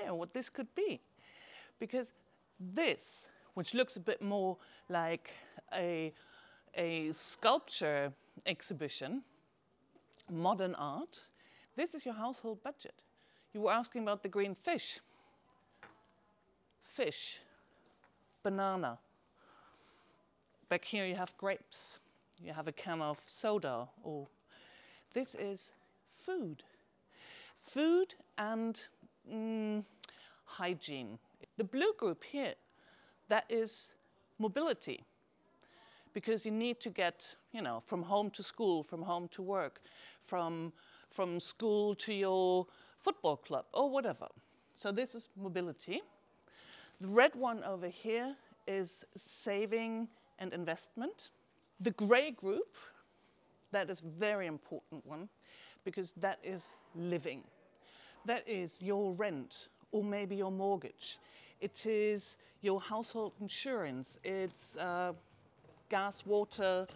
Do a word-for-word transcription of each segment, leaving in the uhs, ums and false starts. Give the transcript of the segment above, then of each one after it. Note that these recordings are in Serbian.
idea what this could be. Because this, which looks a bit more like a, a sculpture exhibition, modern art, this is your household budget. You were asking about the green fish. Fish, banana. Back here you have grapes. You have a can of soda. Or this is food. Food and mm, hygiene. The blue group here, that is mobility. Because you need to get, you know, from home to school, from home to work, from, from school to your football club, or whatever. So this is mobility. The red one over here is saving and investment. The gray group, that is a very important one, because that is living. That is your rent, or maybe your mortgage. It is your household insurance. It's uh, gas, water,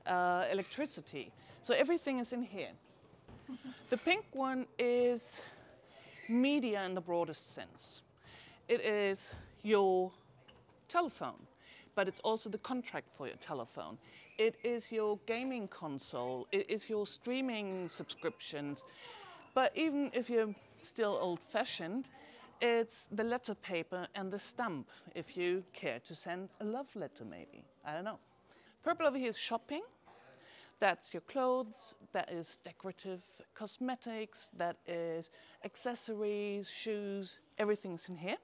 uh, electricity. So everything is in here. The pink one is media in the broadest sense. It is your telephone, but it's also the contract for your telephone. It is your gaming console. It is your streaming subscriptions. But even if you're still old-fashioned, it's the letter paper and the stamp, if you care to send a love letter maybe. I don't know. Purple over here is shopping. That's your clothes, that is decorative cosmetics, that is accessories, shoes, everything's in here.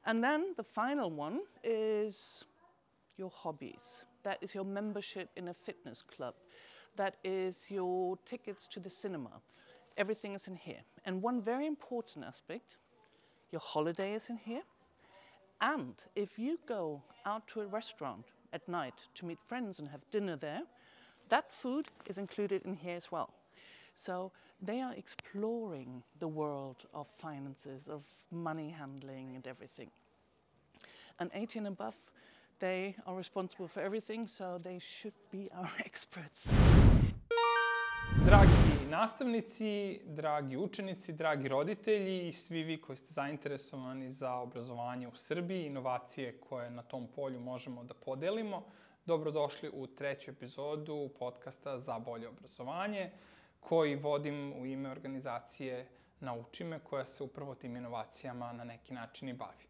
And then the final one is your hobbies. That is your membership in a fitness club. That is your tickets to the cinema. Everything is in here. And one very important aspect, your holiday is in here. And if you go out to a restaurant at night to meet friends and have dinner there, that food is included in here as well. So they are exploring the world of finances, of money handling and everything. And eighteen and above, they are responsible for everything, so they should be our experts. Dragi nastavnici, dragi učenici, dragi roditelji i svi vi koji ste zainteresovani za obrazovanje u Srbiji, inovacije koje na tom polju možemo da podelimo, dobrodošli u treću epizodu podcasta Za bolje obrazovanje, koji vodim u ime organizacije Nauči me, koja se upravo tim inovacijama na neki način i bavi.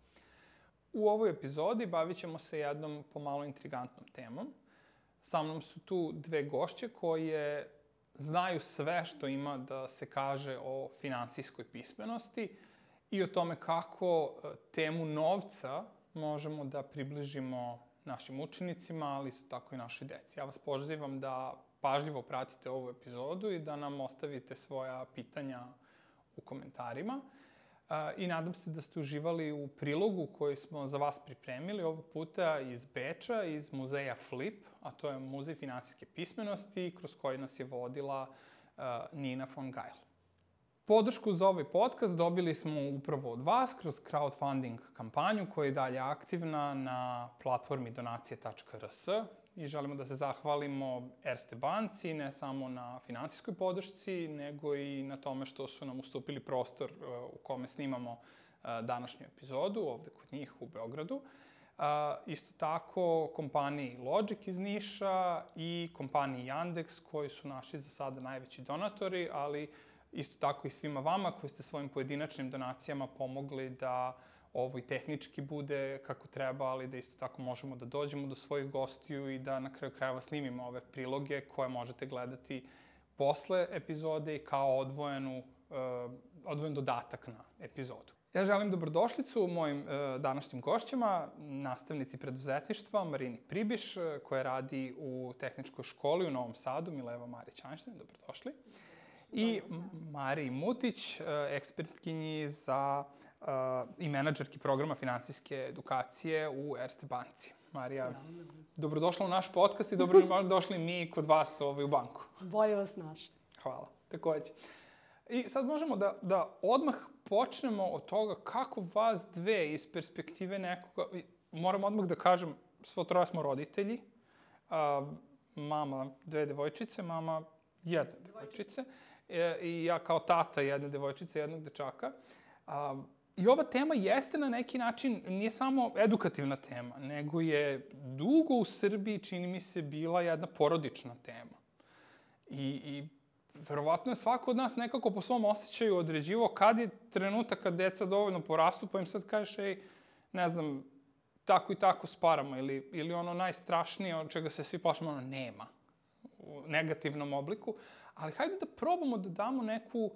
U ovoj epizodi bavit ćemo se jednom pomalo intrigantnom temom. Sa mnom su tu dve gošće koje znaju sve što ima da se kaže o finansijskoj pismenosti i o tome kako temu novca možemo da približimo našim učenicima, ali isto tako i našoj deci. Ja vas pozivam da pažljivo pratite ovu epizodu i da nam ostavite svoja pitanja u komentarima. I nadam se da ste uživali u prilogu koji smo za vas pripremili, ovog puta iz Beča, iz muzeja Flip, a to je muzej finansijske pismenosti, kroz koji nas je vodila Nina von Geil. Podršku za ovaj podcast dobili smo upravo od vas kroz crowdfunding kampanju koja je dalje aktivna na platformi donacije tačka r s i želimo da se zahvalimo Erste banci ne samo na finansijskoj podršci, nego i na tome što su nam ustupili prostor u kome snimamo današnju epizodu, ovde kod njih u Beogradu. Isto tako kompaniji Logic iz Niša i kompaniji Yandex koji su naši za sada najveći donatori, ali isto tako i svima vama koji ste svojim pojedinačnim donacijama pomogli da ovo i tehnički bude kako treba, ali da isto tako možemo da dođemo do svojih gostiju i da na kraju krajeva snimimo ove priloge koje možete gledati posle epizode i kao odvojenu, odvojen dodatak na epizodu. Ja želim dobrodošlicu mojim današnjim gošćama, nastavnici preduzetništva Marini Pribiš, koja radi u tehničkoj školi u Novom Sadu, Mileva Marić-Einstein, dobrodošli. I Mariji Mutić, ekspertkinji za uh, i menadžerki programa finansijske edukacije u Erste banci. Marija, dobrodošla u naš podcast i dobrodošli mi kod vas ovaj, u banku. Bolje vas našli. Hvala, takođe. I sad možemo da, da odmah počnemo od toga kako vas dve iz perspektive nekoga, moram odmah da kažem, svo troje smo roditelji, uh, mama dve devojčice, mama jedne devojčice. I ja kao tata jedne devojčice, jednog dečaka. I ova tema jeste na neki način, nije samo edukativna tema, nego je dugo u Srbiji, čini mi se, bila jedna porodična tema. I, i verovatno je svako od nas nekako po svom osjećaju određivao kad je trenutak kad deca dovoljno porastu, pa im sad kažeš, ej, ne znam, tako i tako sparamo, ili, ili ono najstrašnije od čega se svi plašimo, ono nema u negativnom obliku. Ali hajde da probamo da damo neku,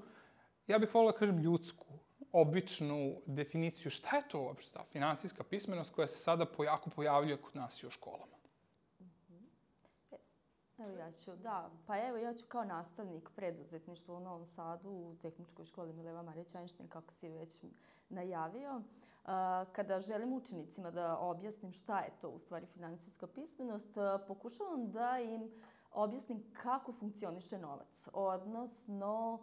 ja bih volila da kažem, ljudsku, običnu definiciju. Šta je to uopšte ta finansijska pismenost koja se sada jako pojavljuje kod nas i u školama? Evo ja ću, da, pa evo ja ću kao nastavnik preduzetništva u Novom Sadu u Tehničkoj školi Mileva Marić Einstein, kako si već najavio. Kada želim učenicima da objasnim šta je to u stvari finansijska pismenost, pokušavam da im objasnim kako funkcioniše novac, odnosno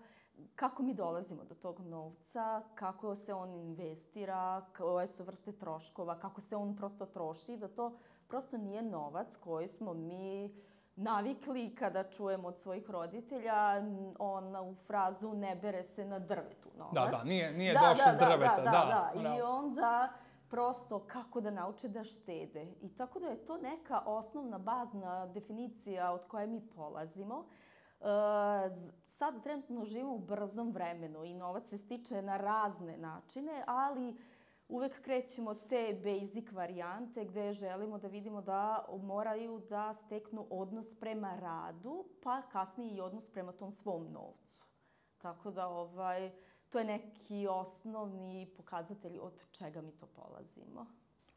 kako mi dolazimo do tog novca, kako se on investira, koje su vrste troškova, kako se on prosto troši, da to prosto nije novac koji smo mi navikli kada čujemo od svojih roditelja onu frazu ne bere se na drvetu novac. Da, da, nije, nije da, došao da, s drveta. Da, da, da, da. da. I onda prosto kako da nauče da štede. I tako da je to neka osnovna, bazna definicija od koje mi polazimo. Uh, sad trenutno živimo u brzom vremenu i novac se stiče na razne načine, ali uvek krećemo od te basic varijante gde želimo da vidimo da moraju da steknu odnos prema radu, pa kasnije i odnos prema tom svom novcu. Tako da ovaj, to je neki osnovni pokazatelj od čega mi to polazimo.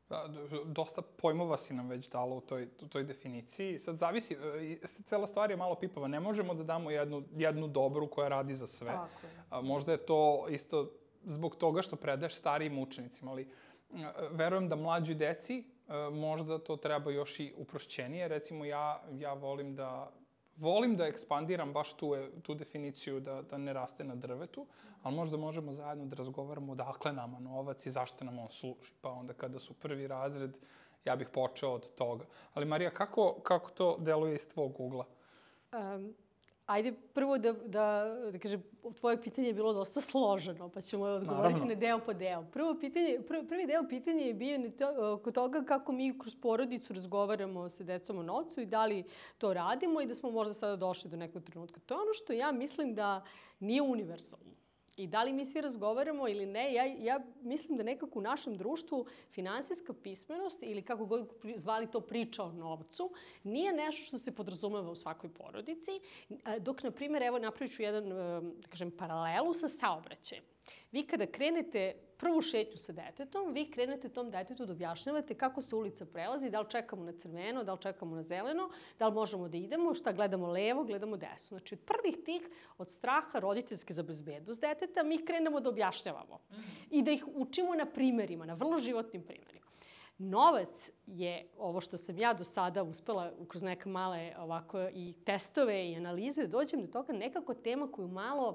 Da, dosta pojmova si nam već dala u toj, u toj definiciji. Sad zavisi, cela stvar je malo pipava. Ne možemo da damo jednu, jednu dobru koja radi za sve. Tako je. Možda je to isto zbog toga što predaješ starijim učenicima, ali verujem da mlađoj deci možda to treba još i uprošćenije. Recimo, ja, ja volim da volim da ekspandiram baš tu, tu definiciju da, da ne raste na drvetu, ali možda možemo zajedno da razgovaramo odakle nama novac i zašto nam on služi. Pa onda kada su prvi razred, ja bih počeo od toga. Ali Marija, kako, kako to deluje iz tvog ugla? Um, ajde prvo da, da, da kažem, tvoje pitanje je bilo dosta složeno, pa ćemo odgovoriti Naravno. na deo po deo. Prvo pitanje, prvi, prvi deo pitanja je bio oko toga kako mi kroz porodicu razgovaramo sa decom o novcu i da li to radimo i da smo možda sada došli do nekog trenutka. To je ono što ja mislim da nije univerzalno. I da li mi svi razgovaramo ili ne, ja, ja mislim da nekako u našem društvu finansijska pismenost ili kako god zvali to priča o novcu nije nešto što se podrazumeva u svakoj porodici, dok, na primjer, evo napravit ću jedan, da kažem, paralelu sa saobraćajem. Vi kada krenete prvu šetnju sa detetom, vi krenete tom detetu da objašnjavate kako se ulica prelazi, da li čekamo na crveno, da li čekamo na zeleno, da li možemo da idemo, šta gledamo levo, gledamo desno. Znači, od prvih tih, od straha roditeljske za bezbednost deteta, mi krenemo da objašnjavamo i da ih učimo na primerima, na vrlo životnim primerima. Novac je, ovo što sam ja do sada uspela kroz neke male ovako i testove i analize, da dođem do toga nekako tema koju malo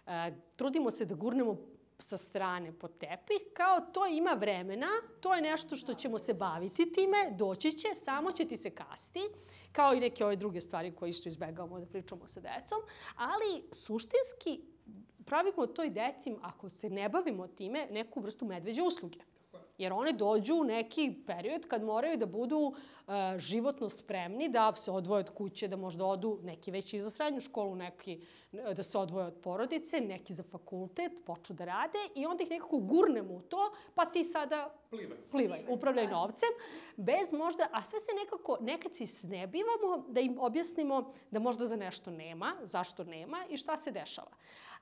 uh, trudimo se da gurnemo sa strane pod tepih, kao to ima vremena, to je nešto što ćemo se baviti time, doći će, samo će ti se kasti, kao i neke ove druge stvari koje isto izbegavamo da pričamo sa decom, ali suštinski pravimo toj deci, ako se ne bavimo time, neku vrstu medveđe usluge. Jer one dođu u neki period kad moraju da budu uh, životno spremni, da se odvoje od kuće, da možda odu neki već i za srednju školu, neki da se odvoje od porodice, neki za fakultet, počnu da rade i onda ih nekako gurnemo u to, pa ti sada plivaj, plivaj upravljaj novcem, bez možda, a sve se nekako, nekad se snebivamo da im objasnimo da možda za nešto nema, zašto nema i šta se dešava.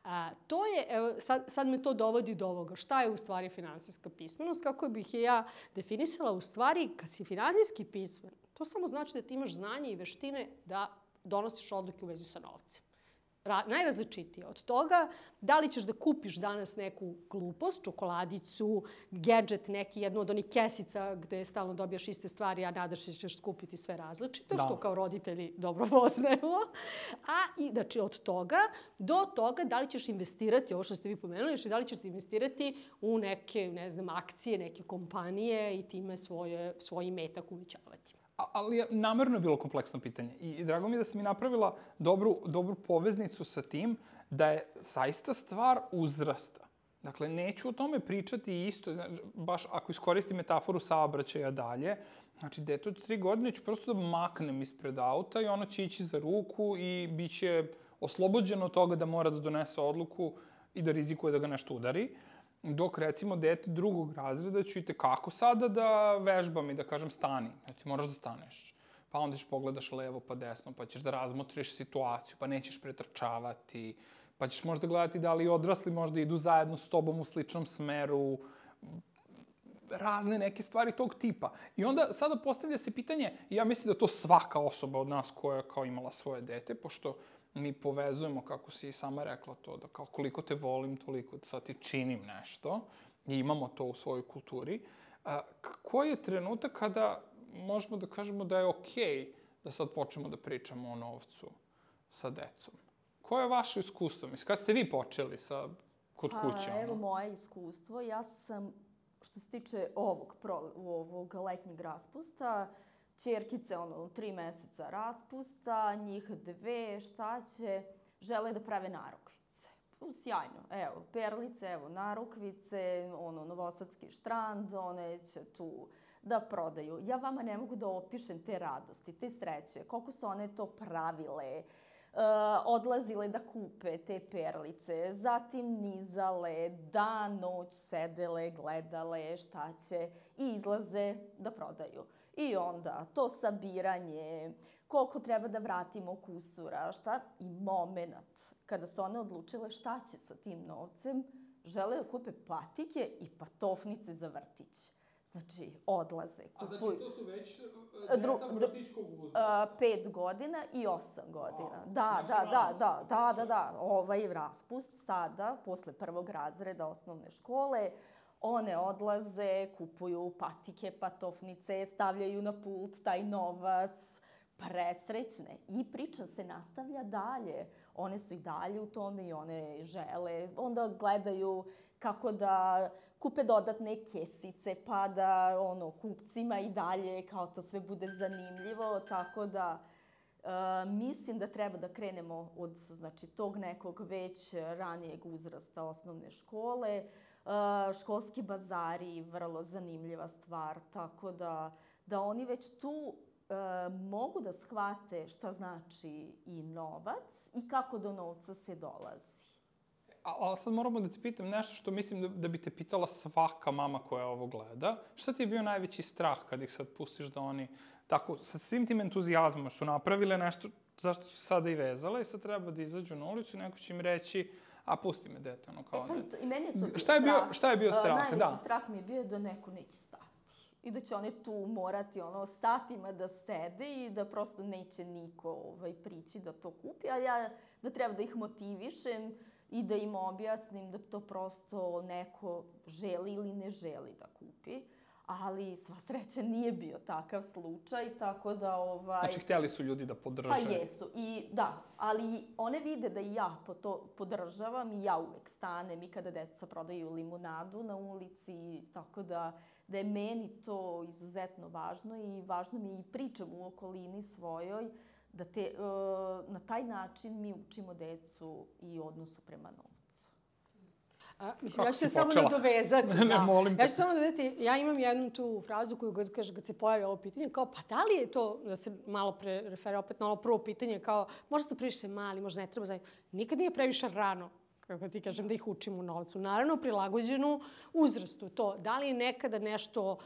A, to je, evo, sad, sad me to dovodi do ovoga. Šta je u stvari finansijska pismenost? Kako bih je ja definisala? U stvari, kad si finansijski pismen, to samo znači da ti imaš znanje i veštine da donosiš odluke u vezi sa novcem. Ra- najrazličitije od toga, da li ćeš da kupiš danas neku glupost, čokoladicu, gadget, neki, jednu od onih kesica gde stalno dobijaš iste stvari, a nadaš se da ćeš kupiti sve različito, da. Što kao roditelji dobro poznajemo. A i, znači, od toga do toga da li ćeš investirati, ovo što ste vi pomenuli, znači da li ćeš investirati u neke, ne znam, akcije, neke kompanije i time svoje, svoj imetak uvećavati. Ali je namerno bilo kompleksno pitanje. I, i drago mi je da sam i napravila dobru, dobru poveznicu sa tim da je zaista stvar uzrasta. Dakle, neću o tome pričati isto, baš ako iskoristim metaforu saobraćaja dalje. Znači, dete od tri godine ću prosto da maknem ispred auta i ono će ići za ruku i bit će oslobođeno od toga da mora da donese odluku i da rizikuje da ga nešto udari. Dok, recimo, dete drugog razreda ću i tekako sada da vežbam i da kažem stani. Znači, moraš da staneš. Pa onda ćeš pogledaš levo pa desno, pa ćeš da razmotriš situaciju, pa nećeš pretrčavati, pa ćeš možda gledati da li odrasli možda idu zajedno s tobom u sličnom smeru, razne neke stvari tog tipa. I onda sada postavlja se pitanje, i ja mislim da to svaka osoba od nas koja je kao imala svoje dete, pošto mi povezujemo, kako si i sama rekla to, da kao koliko te volim, toliko sad ti činim nešto, i imamo to u svojoj kulturi. A, koji je trenutak kada možemo da kažemo da je okej da sad počnemo da pričamo o novcu sa decom? Koje je vaše iskustvo? Mislim, kad ste vi počeli sa kod kuće? Pa, evo moje iskustvo. Ja sam, što se tiče ovog, pro, ovog letnjeg raspusta, ćerkice, ono, tri meseca raspusta, njih dve, šta će, žele da prave narukvice. Sjajno, evo, perlice, evo, narukvice, ono, novosadski štrand, one će tu da prodaju. Ja vama ne mogu da opišem te radosti, te sreće, koliko su one to pravile, Uh, odlazile da kupe te perlice, zatim nizale, dan, noć sedele, gledale šta će i izlaze da prodaju. I onda to sabiranje, koliko treba da vratimo kusura, šta? I moment kada su one odlučile šta će sa tim novcem, žele da kupe patike i patofnice za vrtić. Znači, odlaze, kupuju. A znači, to su već deca vrtićkog uzrasta? Pet godina i osam godina. Wow. Da, znači, da, da, da, da, da, da. Ovaj raspust sada, posle prvog razreda osnovne škole, one odlaze, kupuju patike, patofnice, stavljaju na pult taj novac, presrećne. I priča se nastavlja dalje. One su i dalje u tome i one žele. Onda gledaju kako da kupe dodatne kesice, pa da ono, kupcima i dalje kao to sve bude zanimljivo. Tako da uh, mislim da treba da krenemo od znači, tog nekog već ranijeg uzrasta osnovne škole. Uh, školski bazari, vrlo zanimljiva stvar, tako da, da oni već tu E, mogu da shvate šta znači i novac i kako do novca se dolazi. A, ali sad moramo da te pitam nešto što mislim da, da bi te pitala svaka mama koja ovo gleda. Šta ti je bio najveći strah kad ih sad pustiš da oni tako, sa svim tim entuzijazmom su napravile nešto zašto su sada i vezale i sad treba da izađu na ulicu i neko će im reći a pusti me dete, ono kao e, pa, ne. I meni je to bio šta je bio, strah. Šta je bio strah? Najveći da. strah mi je bio da neko neće stati. I da će one tu morati ono, satima da sede i da prosto neće niko ovaj, prići da to kupi. A ja da treba da ih motivišem i da im objasnim da to prosto neko želi ili ne želi da kupi. Ali sva sreća nije bio takav slučaj, tako da... Ovaj, znači, htjeli su ljudi da podrže. Pa jesu, i da, ali one vide da i ja to podržavam i ja uvek stanem i kada deca prodaju limunadu na ulici, tako da, da je meni to izuzetno važno i važno mi je i pričam u okolini svojoj da te, na taj način mi učimo decu i odnosu prema novcu. A, mislim, Kako ja ću se samo nadovezati. Ne, ne, molim te. Ja ću samo nadovezati, ja imam jednu tu frazu koju god kaže kad se pojavi ovo pitanje, kao pa da li je to, da se malo pre referira opet na ono prvo pitanje, kao možda su previše mali, možda ne treba zajedno. Nikad nije previše rano, kako ti kažem, da ih učimo u novcu. Naravno, prilagođenu uzrastu. To, da li je nekada nešto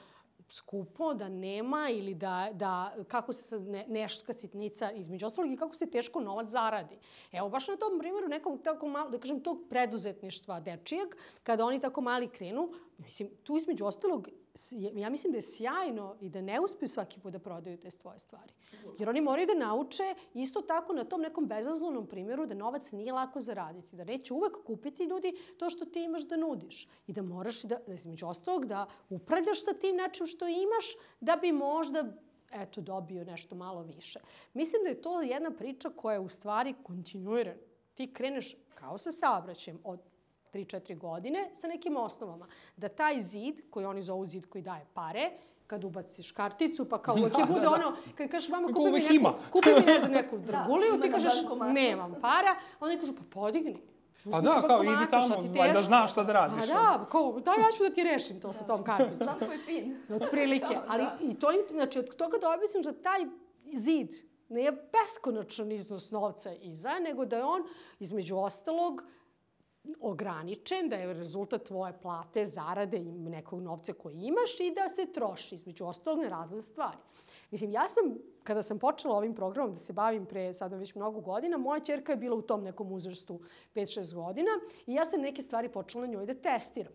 skupo, da nema ili da, da kako se ne, neška sitnica između ostalog i kako se teško novac zaradi. Evo, baš na tom primjeru nekog tako malo, da kažem, tog preduzetništva dečijeg, kada oni tako mali krenu, mislim, tu između ostalog, ja mislim da je sjajno i da ne uspiju svaki put da prodaju te svoje stvari. Jer oni moraju da nauče isto tako na tom nekom bezazlenom primjeru da novac nije lako zaraditi, da neće uvek kupiti ljudi to što ti imaš da nudiš i da moraš, da, da između ostalog, da upravljaš sa tim nečim što imaš da bi možda eto, dobio nešto malo više. Mislim da je to jedna priča koja je u stvari kontinuirana. Ti kreneš kao sa saobraćajem od tri četiri godine sa nekim osnovama. Da taj zid, koji oni zovu zid koji daje pare, kad ubaciš karticu, pa kao uvijek je bude ono, kad kažeš mama kupi mi, neku, kupi mi ne znam, neku draguliju, ti kažeš nemam para, oni kažu pa podigni. Pa da, kao idi tamo, da znaš šta da radiš. Pa da, kao, da, ja ću da ti rešim to sa tom karticom. Sam tvoj pin. Otprilike, ali i to im, znači od toga da objasnim da taj zid nije beskonačan iznos novca iza, nego da je on, između ostalog, ograničen, da je rezultat tvoje plate, zarade i nekog novca koji imaš i da se troši, između ostalog, na razne stvari. Mislim, ja sam, kada sam počela ovim programom da se bavim pre sada već mnogo godina, moja ćerka je bila u tom nekom uzrastu pet šest godina i ja sam neke stvari počela na njoj da testiram.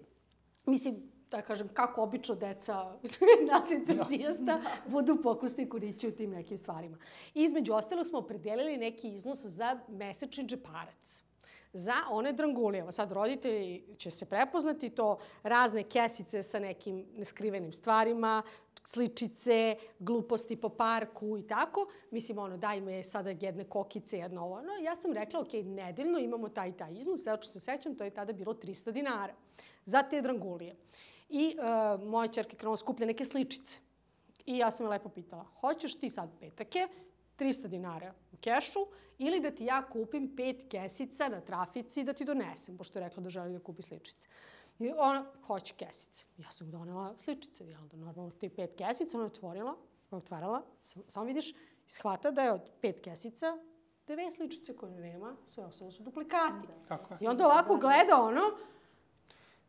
Mislim, da kažem, kako obično deca nas entuzijasta budu pokusni kunići u tim nekim stvarima. I između ostalog smo opredelili neki iznos za mesečni džeparac. Za one drangulije. Sad roditelji će se prepoznati to, razne kesice sa nekim neskrivenim stvarima, sličice, gluposti po parku i tako. Mislim, ono, daj me sada jedne kokice, jedno ovo. No, ja sam rekla, ok, nedeljno imamo taj i taj iznos. Evo što se sećam, to je tada bilo trista dinara za te drangulije. I uh, moja ćerka krenula skuplja neke sličice. I ja sam je lepo pitala, hoćeš ti sad petake, trista dinara u kešu, ili da ti ja kupim pet kesica na trafici da ti donesem, pošto je rekla da želi da kupi sličice. I ona hoće kesice. Ja sam donela sličice, jel da normalno ti pet kesica, ona je otvorila, otvarala, samo vidiš, shvata da je od pet kesica dve sličice koje nema, sve ostalo su duplikati. Kako je? I onda ovako gleda ono,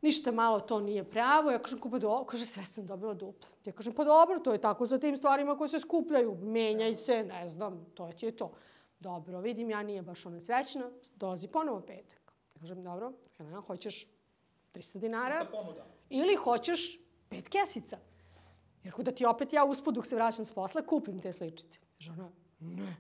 ništa malo to nije pravo. Ja kažem, kupa dobro. Kaže, sve sam dobila duplo. Ja kažem, pa dobro, to je tako za tim stvarima koje se skupljaju. Menjaj se, ne znam, to ti je to. Dobro, vidim, ja nije baš ona srećna. Dolazi ponovo petak. Ja kažem, dobro, Helena, hoćeš trista dinara ili hoćeš pet kesica? Jer da ti opet ja uspod dok se vraćam s posla kupim te sličice. Kaže ona, ne.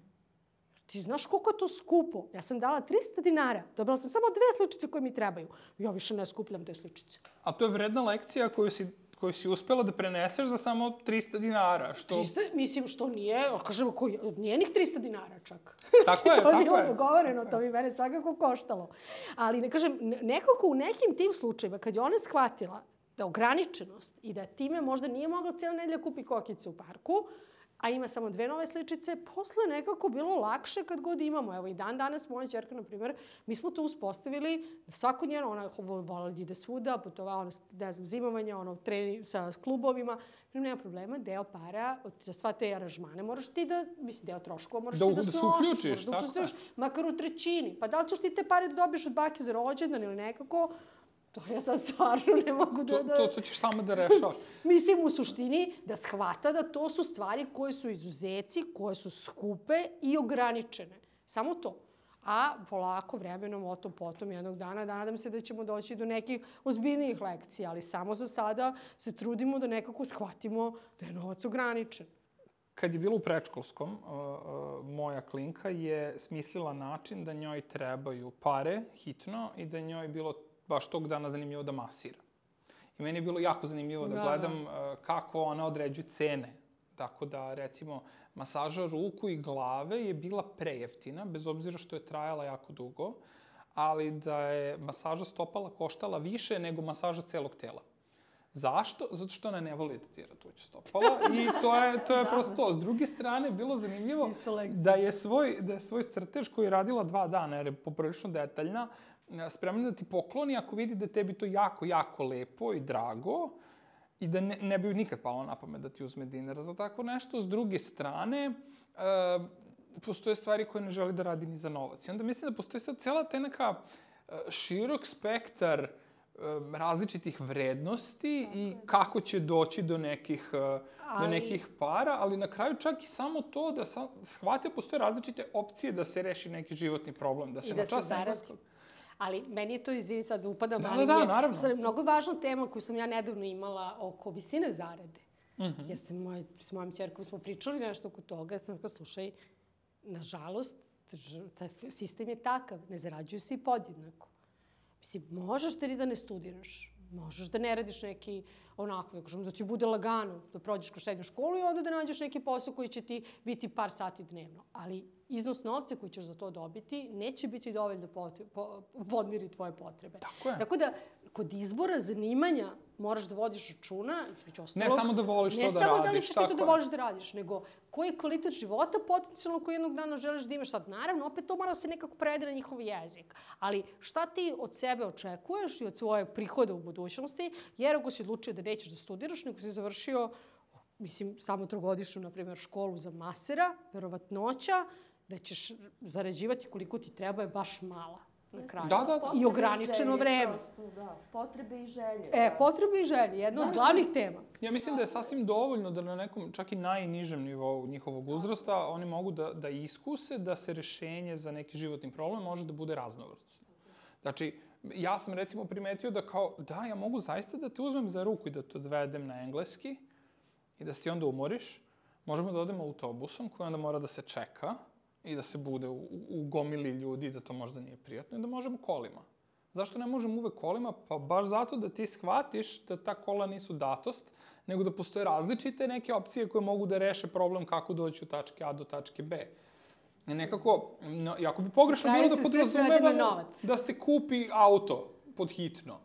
Ti znaš koliko je to skupo? Ja sam dala trista dinara. Dobila sam samo dve sličice koje mi trebaju. Ja više ne skupljam te sličice. A to je vredna lekcija koju si, koju si uspela da preneseš za samo trista dinara. Što... trista, mislim, što nije, kažemo, koji, njenih trista dinara čak. Tako je, to tako je. bilo je. dogovoreno, to bi mene svakako koštalo. Ali, ne kažem, nekako u nekim tim slučajima, kad je ona shvatila da ograničenost i da time možda nije mogla cijela nedelja kupi kokice u parku, a ima samo dve nove sličice, posle nekako bilo lakše kad god imamo. Evo i dan danas moja ćerka, na primjer, mi smo to uspostavili, svako njeno, ona vola da ide svuda, putovala, ono, ne znam, zimovanja, ono, treni sa klubovima, nema problema, deo para za sva te aranžmane moraš ti da, mislim, deo troškova moraš da, ti da, da se snosiš, uključiš, moraš da učestvuješ, makar u trećini. Pa da li ćeš ti te pare da dobiješ od bake za rođendan ili nekako, to ja sad stvarno ne mogu da... To, to, to ćeš sama da rešavaš. Mislim, u suštini, da shvata da to su stvari koje su izuzeci, koje su skupe i ograničene. Samo to. A polako, vremenom, o tom potom, jednog dana, nadam se da ćemo doći do nekih ozbiljnijih lekcija, ali samo za sada se trudimo da nekako shvatimo da je novac ograničen. Kad je bilo u predškolskom, uh, uh, moja klinka je smislila način da njoj trebaju pare hitno i da njoj bilo baš tog dana zanimljivo da masira. I meni je bilo jako zanimljivo da, da gledam uh, kako ona određuje cene. Tako da, recimo, masaža ruku i glave je bila prejeftina, bez obzira što je trajala jako dugo, ali da je masaža stopala koštala više nego masaža celog tela. Zašto? Zato što ona ne voli da tira tuđe stopala i to je, to je prosto to. S druge strane, bilo zanimljivo da je, svoj, da je svoj crtež koji je radila dva dana, jer je poprilično detaljna, spremna da ti pokloni ako vidi da je tebi to jako, jako lepo i drago i da ne, ne bi nikad palo na pamet da ti uzme dinar za tako nešto. S druge strane, e, postoje stvari koje ne želi da radi ni za novac. I onda mislim da postoji sad cela te neka širok spektar različitih vrednosti i kako će doći do nekih, ali... do nekih para, ali na kraju čak i samo to da sam, shvate postoje različite opcije da se reši neki životni problem, da se I na da čas se zaradi. Ali meni je to, izvini sad, upadam, da, ali da, je naravno. mnogo važna tema koju sam ja nedavno imala oko visine zarade. Mm-hmm. Jer sam moj, s mojom ćerkom smo pričali nešto oko toga, ja sam rekla, slušaj, nažalost, taj sistem je takav, ne zarađuju se i podjednako. Mislim, možeš ti da ne studiraš, možeš da ne radiš neki onako, da kažem, da ti bude lagano, da prođeš kroz srednju školu i onda da nađeš neki posao koji će ti biti par sati dnevno. Ali iznos novca koji ćeš za to dobiti neće biti dovoljno da podmiri tvoje potrebe. Tako je. Tako da, kod izbora zanimanja moraš da vodiš računa, između ostalog. Ne samo da voliš to da radiš, Ne samo da li ćeš ti to da je. voliš da radiš, nego koji je kvalitet života potencijalno koji jednog dana želiš da imaš. Sad, naravno, opet to mora se nekako prevede na njihov jezik. Ali šta ti od sebe očekuješ i od svoje prihoda u budućnosti, jer ako si odlučio da nećeš da studiraš, nego si završio, mislim, samo trogodišnju, na primjer, školu za masera, verovatnoća da ćeš zarađivati koliko ti treba je baš mala. Na kraju. Da, da, da. I ograničeno vreme. Prosto, da. Potrebe i želje. E, da. potrebe i želje, jedna od glavnih tema. Ja mislim da je sasvim dovoljno da na nekom, čak i najnižem nivou njihovog uzrasta, oni mogu da, da iskuse da se rešenje za neki životni problem može da bude raznovrsno. Znači, ja sam recimo primetio da kao, da, ja mogu zaista da te uzmem za ruku i da te odvedem na engleski i da se ti onda umoriš. Možemo da odemo autobusom koji onda mora da se čeka i da se bude u, u gomili ljudi, da to možda nije prijatno, i da možemo kolima. Zašto ne možemo uvek kolima? Pa baš zato da ti shvatiš da ta kola nisu datost, nego da postoje različite neke opcije koje mogu da reše problem kako doći od tačke A do tačke B. I nekako, no, jako bi pogrešno bilo da podrazumevamo da se kupi auto pod hitno.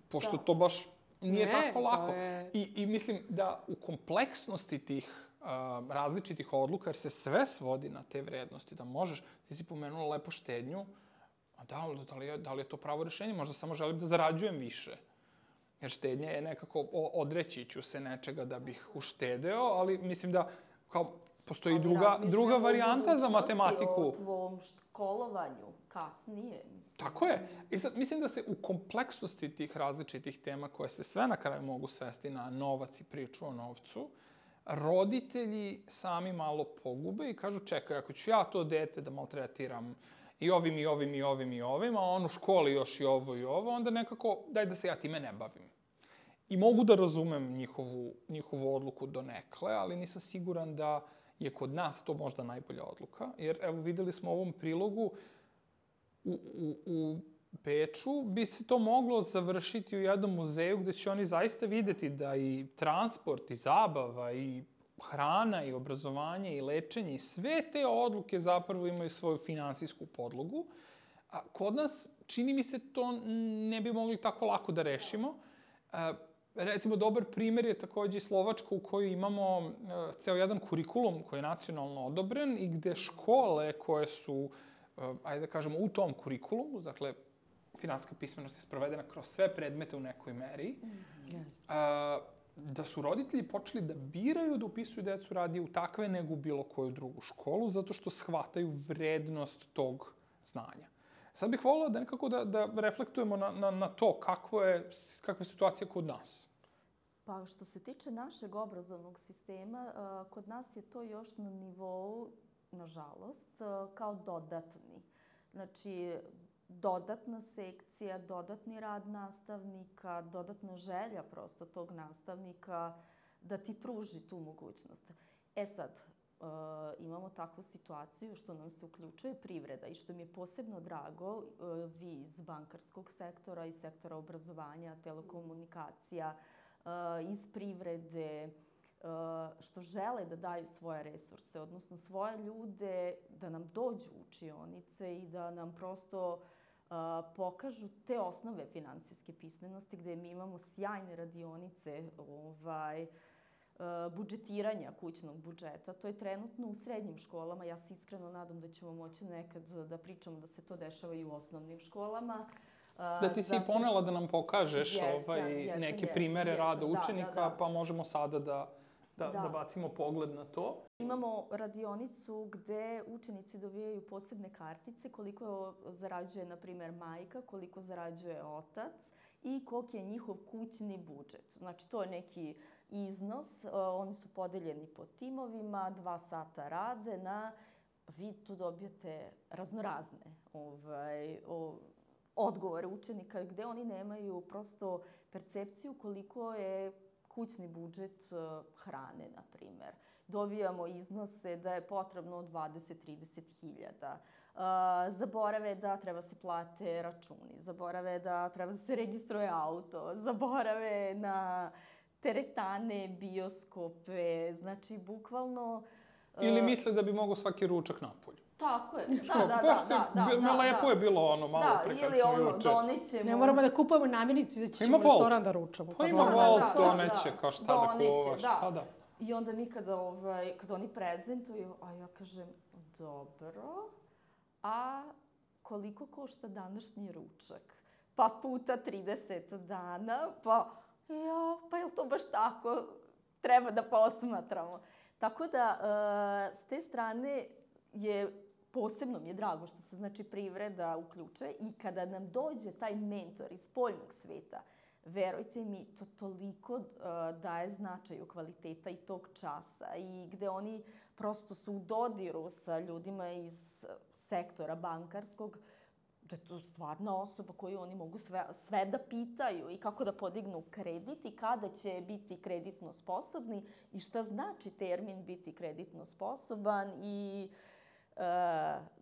Pošto da. To baš nije ne, tako lako. Je... I, I mislim da u kompleksnosti tih Uh, različitih odluka, jer se sve svodi na te vrednosti, da možeš, ti si pomenula lepo štednju, a da, da, li je, da li je to pravo rešenje? Možda samo želim da zarađujem više. Jer štednja je nekako, odreći ću se nečega da bih uštedeo, ali mislim da kao postoji ali druga, druga varijanta za matematiku. O tvom školovanju kasnije. Mislim. Tako je. I sad, mislim da se u kompleksnosti tih različitih tema koje se sve na kraju mogu svesti na novac i priču o novcu, roditelji sami malo pogube i kažu, čekaj, ako ću ja to dete da maltretiram i ovim, i ovim, i ovim, i ovim, a on u školi još i ovo i ovo, onda nekako, daj da se ja time ne bavim. I mogu da razumem njihovu, njihovu odluku donekle, ali nisam siguran da je kod nas to možda najbolja odluka. Jer, evo, videli smo u ovom prilogu, u, u, u Beču bi se to moglo završiti u jednom muzeju gde će oni zaista videti da i transport, i zabava, i hrana, i obrazovanje, i lečenje, i sve te odluke zapravo imaju svoju finansijsku podlogu. A kod nas, čini mi se, to ne bi mogli tako lako da rešimo. A, recimo, dobar primer je takođe Slovačka u kojoj imamo a, ceo jedan kurikulum koji je nacionalno odobren i gde škole koje su, a, ajde da kažemo, u tom kurikulumu, dakle, finansijska pismenost je sprovedena kroz sve predmete u nekoj meri, mm-hmm. a, da su roditelji počeli da biraju da upisuju decu radije u takve nego u bilo koju drugu školu, zato što shvataju vrednost tog znanja. Sad bih volila da nekako da, da reflektujemo na, na, na to kakvo je, kakva je situacija kod nas. Pa što se tiče našeg obrazovnog sistema, kod nas je to još na nivou, nažalost, kao dodatni. Znači, dodatna sekcija, dodatni rad nastavnika, dodatna želja prosto tog nastavnika da ti pruži tu mogućnost. E sad, uh, imamo takvu situaciju što nam se uključuje privreda i što mi je posebno drago, uh, vi iz bankarskog sektora, iz sektora obrazovanja, telekomunikacija, uh, iz privrede, uh, što žele da daju svoje resurse, odnosno svoje ljude, da nam dođu u učionice i da nam prosto Uh, pokažu te osnove finansijske pismenosti gde mi imamo sjajne radionice ovaj, uh, budžetiranja kućnog budžeta. To je trenutno u srednjim školama. Ja se iskreno nadam da ćemo moći nekad da pričamo da se to dešava i u osnovnim školama. Uh, da ti zato... si ponela da nam pokažeš jesam, ovaj, jesam, neke jesam, primere jesam, rada jesam, učenika, da, da, da. Pa možemo sada da, da, da. da bacimo pogled na to. Imamo radionicu gde učenici dobijaju posebne kartice, koliko zarađuje, na primer, majka, koliko zarađuje otac i koliki je njihov kućni budžet. Znači, to je neki iznos, oni su podeljeni po timovima, dva sata rade na, vi tu dobijate raznorazne ovaj, o, odgovore učenika gde oni nemaju prosto percepciju koliko je kućni budžet hrane, na primer. Dobijamo iznose da je potrebno dvadeset do trideset hiljada. Uh, zaborave da treba se plate računi, zaborave da treba da se registruje auto, zaborave na teretane, bioskope. Znači, bukvalno Ili misle da bi mogao svaki ručak napolju. Tako je, Što, da, da, baš da, da, je- da, me lepo da. je bilo ono malo Da, pre kad ili smo ono, juče. donećemo... Ne moramo da kupujemo namirnice, za Ima ćemo u Volt. restoran da ručamo. Pa ima da, da, Volt, da, doneće, da. kao šta da Doneće, kuvaš. da. Pa da. I onda mi kada, ovaj, kada oni prezentuju, a ja kažem, dobro, a koliko košta današnji ručak? Pa puta trideset dana, pa ja, pa je li to baš tako? Treba da posmatramo. Tako da, uh, s te strane je, posebno mi je drago što se znači privreda uključuje i kada nam dođe taj mentor iz spoljnog sveta, verujte mi, to toliko uh, daje značaju kvaliteta i tog časa i gde oni prosto su u dodiru sa ljudima iz sektora bankarskog, da je to stvarna osoba koju oni mogu sve, sve da pitaju i kako da podignu kredit i kada će biti kreditno sposobni i šta znači termin biti kreditno sposoban i e,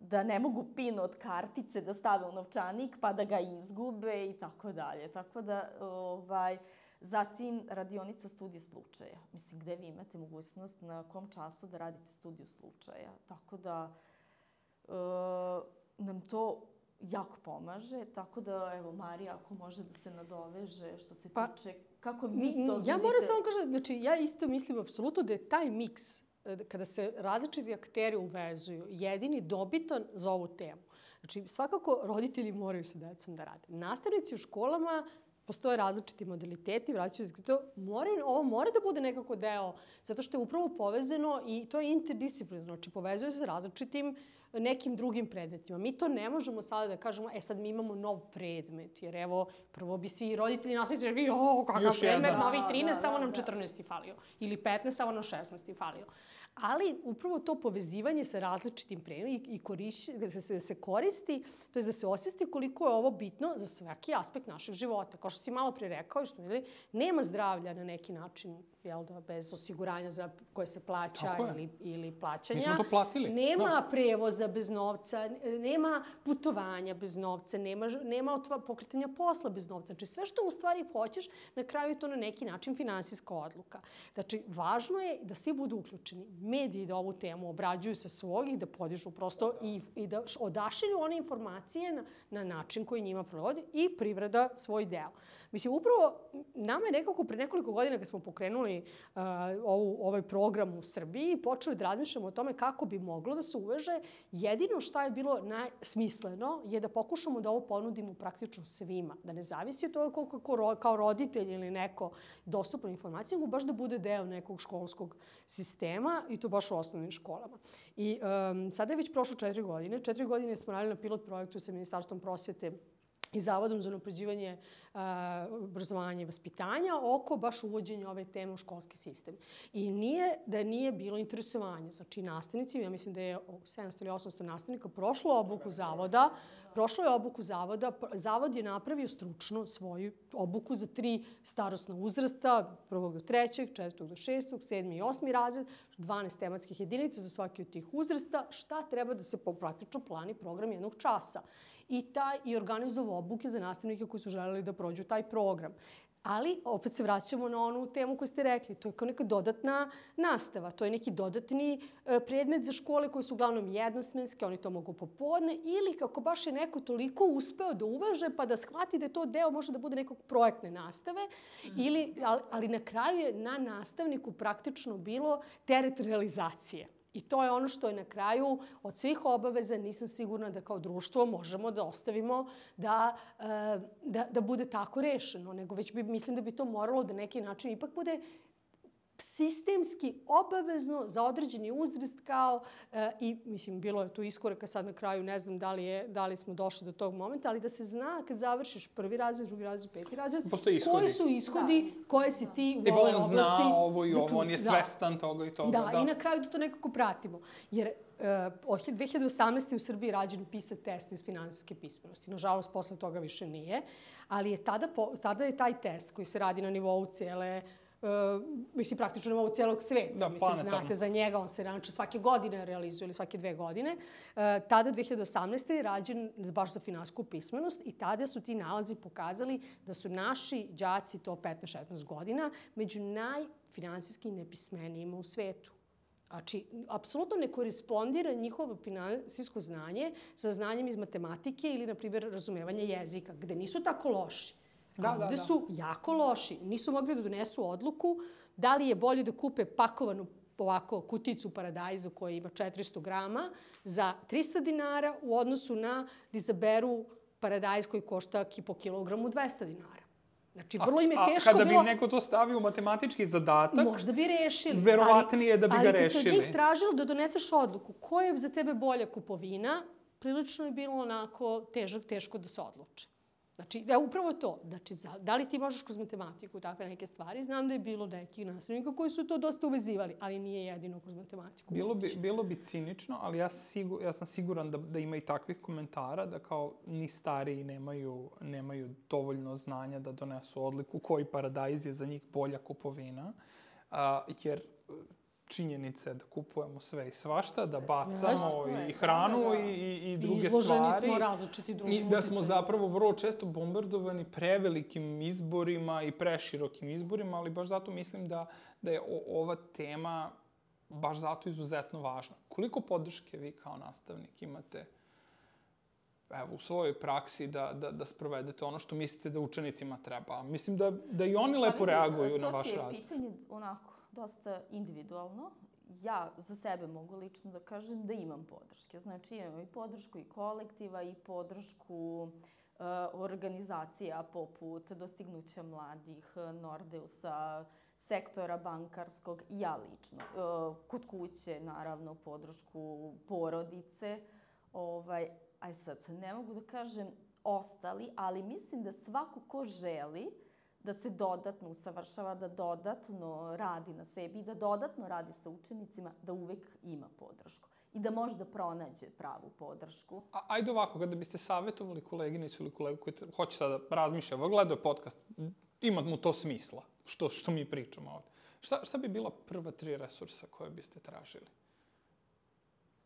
da ne mogu pin od kartice da stave u novčanik pa da ga izgube i tako dalje. Tako da, ovaj, zatim radionica studije slučaja. Mislim, gde vi imate mogućnost na kom času da radite studiju slučaja. Tako da e, nam to jako pomaže, tako da, evo, Marija, ako može da se nadoveže što se Pa, tiče, kako vi to vidite? Ja moram samo kažem, znači, ja isto mislim apsolutno da je taj miks, kada se različiti akteri uvezuju, jedini dobitan za ovu temu. Znači, svakako roditelji moraju sa decom da rade. Nastavnici u školama, postoje različiti modaliteti, vraćaju se to, moraju, ovo mora da bude nekako deo, zato što je upravo povezano i to je interdisciplinarno, znači povezuje se sa različitim nekim drugim predmetima. Mi to ne možemo sada da kažemo, e sad mi imamo nov predmet, jer evo, prvo bi svi roditelji nastavnici rekli, o, kakav Još predmet, jedan. novi Da, trinaest, da, samo da, nam da. četrnaesti falio. Ili petnaest, samo nam šesnaesti falio. Ali upravo to povezivanje sa različitim predmetima i, i koriši, da se, se koristi, to je da se osvesti koliko je ovo bitno za svaki aspekt našeg života. Kao što si malo pre rekao, što videli, nema zdravlja na neki način, jel da, bez osiguranja za koje se plaća ili, ili plaćanja. Mi smo to platili. Nema Da. prevoza bez novca, nema putovanja bez novca, nema, nema otva, pokretanja posla bez novca. Znači, sve što u stvari hoćeš, na kraju je to na neki način finansijska odluka. Znači, važno je da svi budu uključeni. Mediji da ovu temu obrađuju sa svog i da podižu prosto i, i da odašilju one informacije na, na način koji njima provodi i privreda svoj deo. Mislim, upravo nama je nekako pre nekoliko godina kad smo pokrenuli uh, ovu, ovaj program u Srbiji, počeli da razmišljamo o tome kako bi moglo da se uveže. Jedino šta je bilo najsmisleno je da pokušamo da ovo ponudimo praktično svima. Da ne zavisi od toga koliko kako, kao roditelj ili neko dostupna informacija, nego baš da bude deo nekog školskog sistema i to baš u osnovnim školama. I um, sada je već prošlo četiri godine. Četiri godine smo radili na pilot projektu sa Ministarstvom prosvete i Zavodom za unapređivanje uh, obrazovanja i vaspitanja oko baš uvođenja ove teme u školski sistem. I nije da nije bilo interesovanja. Znači, nastavnici, ja mislim da je sedamsto ili osamsto nastavnika prošlo obuku zavoda, prošlo je obuku zavoda, zavod je napravio stručno svoju obuku za tri starosna uzrasta, prvog do trećeg, četvrtog do šestog, sedmi i osmi razred, dvanaest tematskih jedinica za svaki od tih uzrasta, šta treba da se praktično plani program jednog časa. I taj i organizovao obuke za nastavnike koji su želeli da prođu taj program. Ali, opet se vraćamo na onu temu koju ste rekli. To je kao neka dodatna nastava. To je neki dodatni e, predmet za škole koje su uglavnom jednosmenske, oni to mogu popodne, ili kako baš je neko toliko uspeo da uveže pa da shvati da je to deo može da bude nekog projektne nastave, mm. ili, ali, ali na kraju je na nastavniku praktično bilo teret realizacije. I to je ono što je na kraju od svih obaveza, nisam sigurna da kao društvo možemo da ostavimo da, da, da bude tako rešeno, nego već bi, mislim da bi to moralo da neki način ipak bude sistemski obavezno za određeni uzrast kao e, i mislim bilo je tu iskoraka sad na kraju, ne znam da li je da li smo došli do tog momenta, ali da se zna kad završiš prvi razred, drugi razred, peti razred, koji su ishodi, da, koje si ti u ovoj oblasti. On zna ovo i ovo, on je svestan da. toga i toga. Da, da, i na kraju da to nekako pratimo. Jer uh, dve hiljade osamnaeste. u Srbiji rađen PISA test iz finansijske pismenosti. Nažalost, posle toga više nije. Ali je tada, po, tada je taj test koji se radi na nivou cele Uh, mislim, praktično na nivou celog sveta. Da, mislim, znate za njega, on se znači svake godine realizuje ili svake dve godine. Uh, tada, dve hiljade osamnaeste. je rađen baš za finansijsku pismenost i tada su ti nalazi pokazali da su naši đaci, to petnaest šesnaest godina, među najfinansijski nepismenijima u svetu. Znači, apsolutno ne korespondira njihovo finansijsko znanje sa znanjem iz matematike ili, na primjer, razumevanje jezika, gde nisu tako loši. Da, A da, ovde da. su jako loši. Nisu mogli da donesu odluku da li je bolje da kupe pakovanu ovako kuticu paradajza koja ima četiristo grama za trista dinara u odnosu na da izaberu paradajz koji košta po kilogramu dvesta dinara. Znači, vrlo im je teško a kada bilo... bi neko to stavio u matematički zadatak, možda bi rešili. verovatnije je da bi ga ali rešili. Ali kad se od njih tražilo da doneseš odluku koja je za tebe bolja kupovina, prilično je bilo onako težak, teško da se odluče. Znači, da, upravo to. Znači, da li ti možeš kroz matematiku takve neke stvari? Znam da je bilo nekih nastavnika koji su to dosta uvezivali, ali nije jedino kroz matematiku. Bilo bi, bilo bi cinično, ali ja, sigur, ja sam siguran da, da ima i takvih komentara, da kao ni stariji nemaju, nemaju dovoljno znanja da donesu odliku koji paradajz je za njih bolja kupovina, a, jer činjenica je da kupujemo sve i svašta, da bacamo Jasno, i hranu da, da. i, i, i I druge izloženi stvari. smo različiti drugim I da smo uticajima. zapravo vrlo često bombardovani prevelikim izborima i preširokim izborima, ali baš zato mislim da, da je o, ova tema baš zato izuzetno važna. Koliko podrške vi kao nastavnik imate evo, u svojoj praksi da, da, da sprovedete ono što mislite da učenicima treba? Mislim da, da i oni lepo Pa vidi, reaguju na vaš To rad. ti je pitanje onako dosta individualno. Ja za sebe mogu lično da kažem da imam podrške. Znači imam i podršku i kolektiva i podršku uh, organizacija poput Dostignuća mladih, Nordeusa, sektora bankarskog i ja lično. Uh, kod kuće, naravno, podršku porodice. Ovaj, aj sad, ne mogu da kažem ostali, ali mislim da svako ko želi da se dodatno usavršava, da dodatno radi na sebi i da dodatno radi sa učenicima, da uvek ima podršku. I da može da pronađe pravu podršku. A, ajde ovako, kada biste savjetovali koleginicu ili kolegu koji te, hoće sada razmišlja, gledao je podcast, ima mu to smisla, što, što mi pričamo ovde. Šta, šta bi bila prva tri resursa koje biste tražili?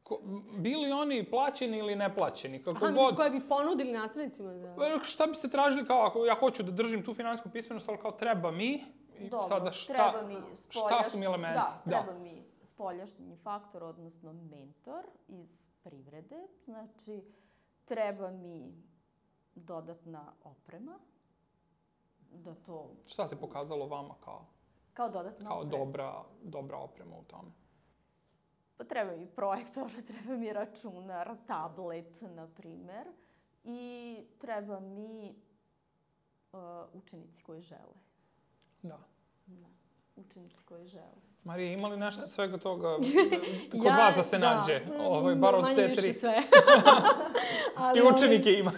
Ko, bili oni plaćeni ili neplaćeni, kako Aha, god. misliš koje bi ponudili nastavnicima? Da... Šta biste tražili kao ako ja hoću da držim tu finansijsku pismenost, ali kao treba mi? I Dobro, sada šta, treba mi spoljašnji, šta su mi elementi? Da, treba da. mi spoljašnji faktor, odnosno mentor iz privrede. Znači, treba mi dodatna oprema. Da to... Šta se pokazalo vama kao, kao dodatna kao oprema? dobra, dobra oprema u tome? Pa treba mi projektor, treba mi računar, tablet, na primer. I treba mi uh, učenici koji žele. Da. Da, učenici koji žele. Marija, ima li nešto od svega toga kod ja, vas da se da, nađe? Ovaj, bar od te tri. Manje više sve. Ali, I učenike imaš.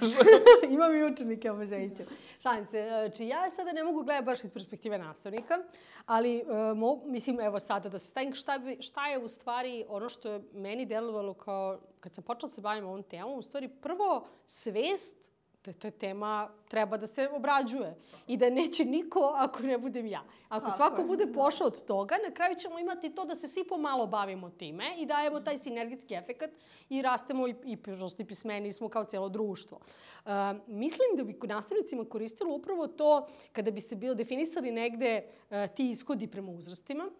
Imam i učenike, obožajiću. Šalim se. Znači, ja sada ne mogu gledati baš iz perspektive nastavnika, ali uh, mo, mislim, evo sada da se stavim šta, bi, šta je u stvari ono što je meni delovalo kao, kad sam počela da se bavim ovom temom, u stvari prvo svest da ta tema treba da se obrađuje i da neće niko ako ne budem ja. Ako Tako svako je, bude da. pošao od toga, na kraju ćemo imati to da se svi pomalo bavimo time i dajemo taj sinergijski efekat i rastemo i, i, prosto i pismeni smo kao cijelo društvo. Uh, mislim da bi nastavnicima koristilo upravo to kada bi se bilo definisali negde uh, ti ishodi prema uzrastima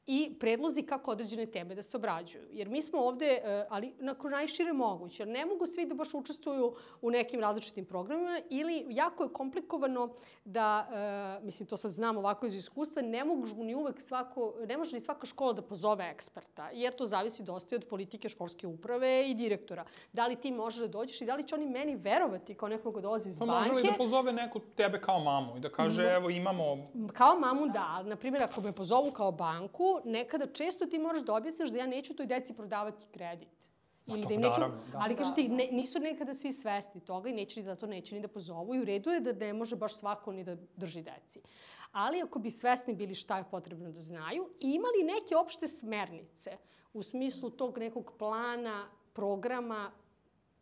i predlozi kako određene teme da se obrađuju. Jer mi smo ovde, ali na najšire moguće, jer ne mogu svi da baš učestvuju u nekim različitim programima ili jako je komplikovano da, mislim, to sad znam ovako iz iskustva, ne mogu ni uvek svako, ne može ni svaka škola da pozove eksperta, jer to zavisi dosta od politike školske uprave i direktora. Da li ti možeš da dođeš i da li će oni meni verovati kao nekog ko dolazi iz Pa banke? može li da pozove neku tebe kao mamu i da kaže, evo imamo... Kao mamu da, na primjer, ako me pozovu kao banku, nekada često ti moraš da objasniš da ja neću toj deci prodavati kredit. Ili to da im neću, naravno, da. ali kažu ti, ne, nisu nekada svi svesni toga i neće ni zato neće ni da pozovu i u redu je da ne može baš svako ni da drži deci. Ali ako bi svesni bili šta je potrebno da znaju i imali neke opšte smernice u smislu tog nekog plana, programa,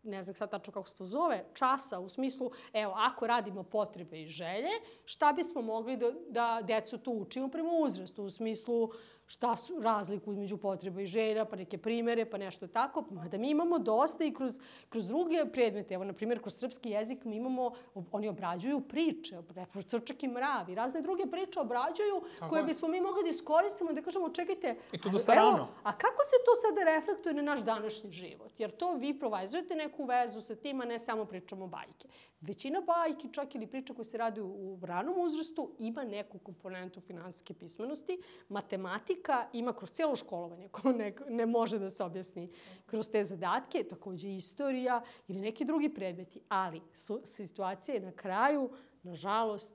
ne znam sad tačno kako se to zove, časa u smislu, evo, ako radimo potrebe i želje, šta bismo mogli da, da decu tu učimo prema uzrastu, u smislu šta su razliku između potreba i želja, pa neke primere, pa nešto tako. Mada mi imamo dosta i kroz, kroz druge predmete. Evo, na primjer, kroz srpski jezik mi imamo, oni obrađuju priče, Crčak i mrav i razne druge priče obrađuju Tako koje je. bismo mi mogli da iskoristimo, da kažemo, čekajte, I to dosta evo, rano. a kako se to sada reflektuje na naš današnji život? Jer to vi provajzujete neku vezu sa tim, a ne samo pričamo bajke. Većina bajki, čak ili priča koje se radi u ranom uzrastu, ima neku komponentu finansijske pismenosti. Matematika ima kroz cijelo školovanje, ko ne, ne može da se objasni kroz te zadatke, takođe istorija ili neki drugi predmeti. Ali su, situacija je na kraju, nažalost,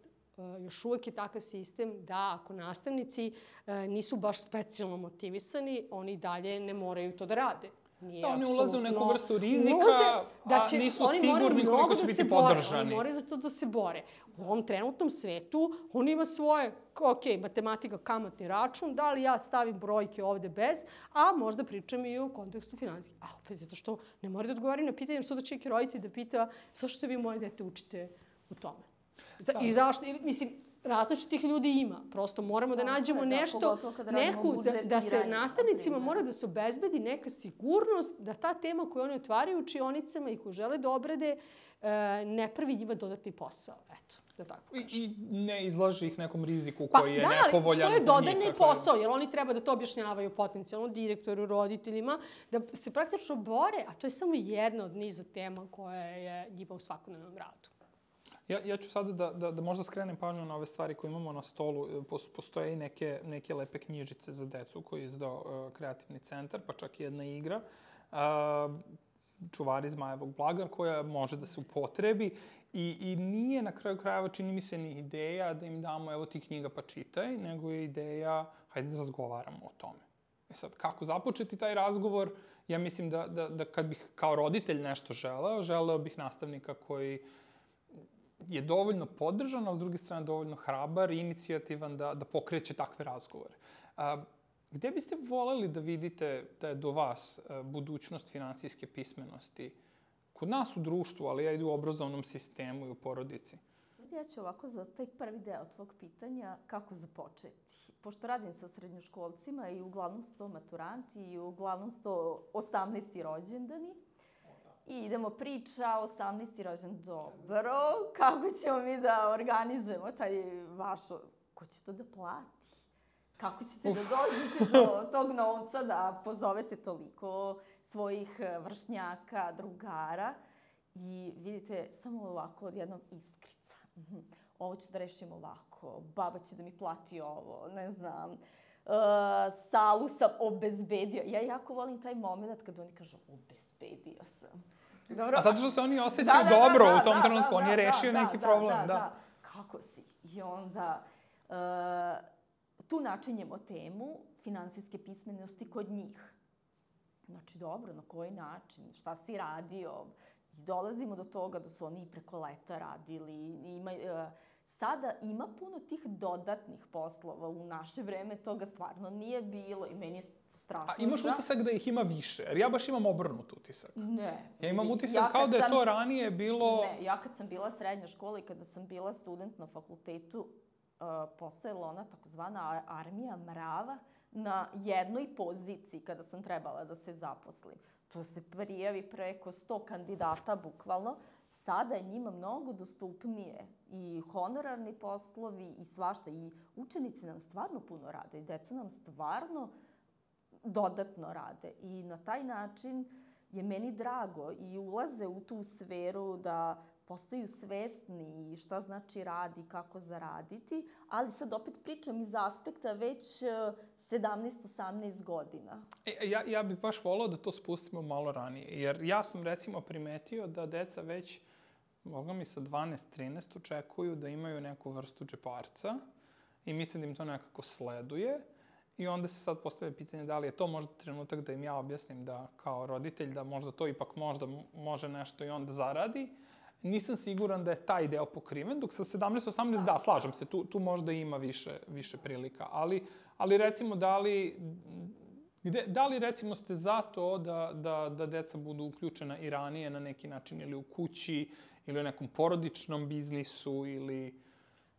još uvek je takav sistem da ako nastavnici nisu baš specijalno motivisani, oni dalje ne moraju to da rade. Nije Da, oni ulaze u neku apsolutno- vrstu rizika, ulaze da će, a nisu oni moraju sigurni mnogo koliko će da biti se bore, podržani. Oni moraju za to da se bore. U ovom trenutnom svetu on ima svoje, ok, matematika, kamatni račun, da li ja stavim brojke ovde bez, a možda pričam i o kontekstu finansijski. A opet zato što ne mora da odgovaram na pitanje, jer suda će neki roditelj da pita zašto vi moje dete učite u tome. Za, Da. I zašto, i, mislim, različitih ljudi ima. Prosto moramo da Tako nađemo je, da, nešto, pogotovo kada radimo neku, da, da se budžetiranje, na nastavnicima primer. mora da se obezbedi neka sigurnost da ta tema koju oni otvaraju u učionicama i koju žele da obrade e, ne pravi njima dodatni posao. Eto, da tako I, kažem. I ne izlaži ih nekom riziku Pa koji je da, ali nepovoljan. što je po dodani njih, dakle- posao, jer oni treba da to objašnjavaju potencijalno direktoru, roditeljima, da se praktično bore, a to je samo jedna od niza tema koja je njima u svakodnevnom radu. Ja, ja ću sada da, da, da možda skrenem pažnju na ove stvari koje imamo na stolu. Pos- Postoje i neke, neke lepe knjižice za decu koje je izdao uh, Kreativni centar, pa čak i jedna igra. Uh, Čuvari zmajevog blaga koja može da se upotrebi i, i nije na kraju krajeva, čini mi se, ni ideja da im damo evo ti knjiga pa čitaj, nego je ideja hajde da razgovaramo o tome. E sad, kako započeti taj razgovor? Ja mislim da, da, da kad bih kao roditelj nešto želeo, želeo bih nastavnika koji je dovoljno podržan, a s druge strane dovoljno hrabar i inicijativan da, da pokreće takve razgovore. A, gde biste voleli da vidite da je do vas a, budućnost finansijske pismenosti? Kod nas u društvu, ali ja i u obrazovnom sistemu i u porodici. Ja ću ovako za taj prvi deo tvog pitanja kako započeti. Pošto radim sa srednjoškolcima i uglavnom su to maturanti i uglavnom su to osamnaesti rođendani. I idemo priča, osamnaesti rođendan, dobro, kako ćemo mi da organizujemo taj vaš, ko će to da plati? Kako ćete Uf. da dođete do tog novca da pozovete toliko svojih vršnjaka, drugara? I vidite, samo ovako od jednog iskrica. Ovo ću da rešim ovako, baba će da mi plati ovo, ne znam, uh, salu sam obezbedio. Ja jako volim taj moment kad oni kažu obezbedio sam. Dobro. A zato što se oni osjećaju da, da, dobro da, da, u tom da, trenutku, da, on je da, rešio da, neki da, problem, da, da. da. Kako si? I onda uh, tu načinjemo temu finansijske pismenosti kod njih. Znači, dobro, na koji način, šta si radio? Dolazimo do toga da su oni i preko leta radili. Ima, uh, sada ima puno tih dodatnih poslova. U naše vreme toga stvarno nije bilo i meni je strašno. A imaš žao. utisak da ih ima više? Jer ja baš imam obrnut utisak. Ne. Ja imam utisak Ja kao kad da je sam- to ranije bilo... Ne, ja kad sam bila srednja škola i kada sam bila student na fakultetu, uh, postojala ona takozvana a- armija mrava na jednoj poziciji kada sam trebala da se zaposlim. To se prijavi preko sto kandidata, bukvalno. Sada je njima mnogo dostupnije i honorarni poslovi i svašta. I učenici nam stvarno puno rade i deca nam stvarno dodatno rade. I na taj način je meni drago i ulaze u tu sferu da postaju svesni šta znači rad i kako zaraditi, ali sad opet pričam iz aspekta već sedamnaest osamnaest godina. E, ja, ja bih baš volao da to spustimo malo ranije, jer ja sam recimo primetio da deca već, boga mi sa dvanaest trinaest očekuju da imaju neku vrstu džeparca i mislim da im to nekako sleduje. I onda se sad postavlja pitanje da li je to možda trenutak da im ja objasnim da kao roditelj da možda to ipak možda može nešto i on da zaradi. Nisam siguran da je taj deo pokriven, dok sa sedamnaest osamnaest da, slažem se, tu, tu možda ima više, više prilika. Ali, ali recimo da li Gde, da li recimo ste za to da, da, da deca budu uključena i ranije na neki način ili u kući ili u nekom porodičnom biznisu ili...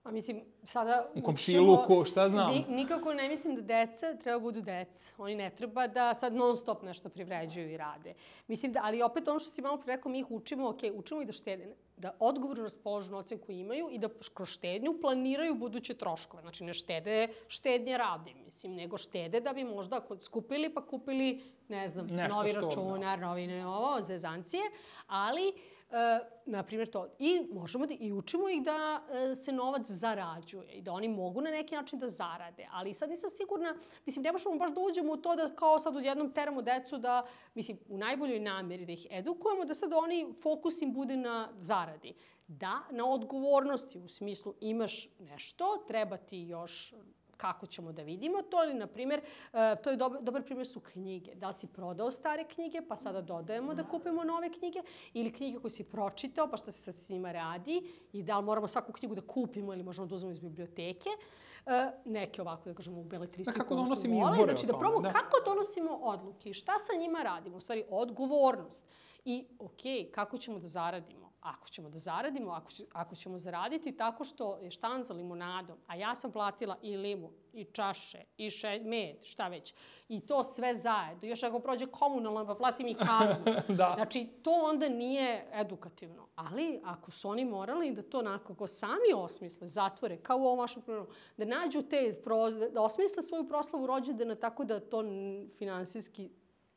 A mislim, sada u komšiluku, šta znam? Ni, nikako ne mislim da deca treba budu deca. Oni ne treba da sad non stop nešto privređuju i rade. Mislim da, ali opet ono što si malo pre rekao, mi ih učimo, ok, učimo ih da štede, da odgovorno raspoložu novcem koji imaju i da kroz štednju planiraju buduće troškove. Znači, ne štede štednje radi, mislim, nego štede da bi možda skupili pa kupili, ne znam, nešto novi što, računar, da. novine, ovo, zezancije, ali... E, na primjer to. I možemo da i učimo ih da e, se novac zarađuje i da oni mogu na neki način da zarade. Ali sad nisam sigurna, mislim, ne možemo baš da uđemo u to da kao sad odjednom teramo decu da, mislim, u najboljoj namjeri da ih edukujemo, da sad oni fokus im bude na zaradi. Da, na odgovornosti, u smislu imaš nešto, treba ti još kako ćemo da vidimo to, ili, na primjer, to je dobar, dobar primjer su knjige. Da li si prodao stare knjige, pa sada dodajemo da kupimo nove knjige, ili knjige koje si pročitao, pa šta se sad s njima radi, i da li moramo svaku knjigu da kupimo ili možemo da uzmemo iz biblioteke. Neke ovako, da kažemo, u beletristiku. Kako donosimo izbore znači, da probamo da. Kako donosimo odluke i šta sa njima radimo. U stvari, odgovornost. I, okej, kako ćemo da zaradimo? Ako ćemo da zaradimo, ako, će, ako ćemo zaraditi tako što je štanca limunadom, a ja sam platila i limun, i čaše, i še, med, šta već, i to sve zajedno, još ako prođe komunalno, pa platim i kaznu. Da. Znači, to onda nije edukativno. Ali, ako su oni morali da to nakako sami osmisle, zatvore, kao u ovom vašem programu, da nađu te, da osmisle svoju proslavu rođendana tako da to finansijski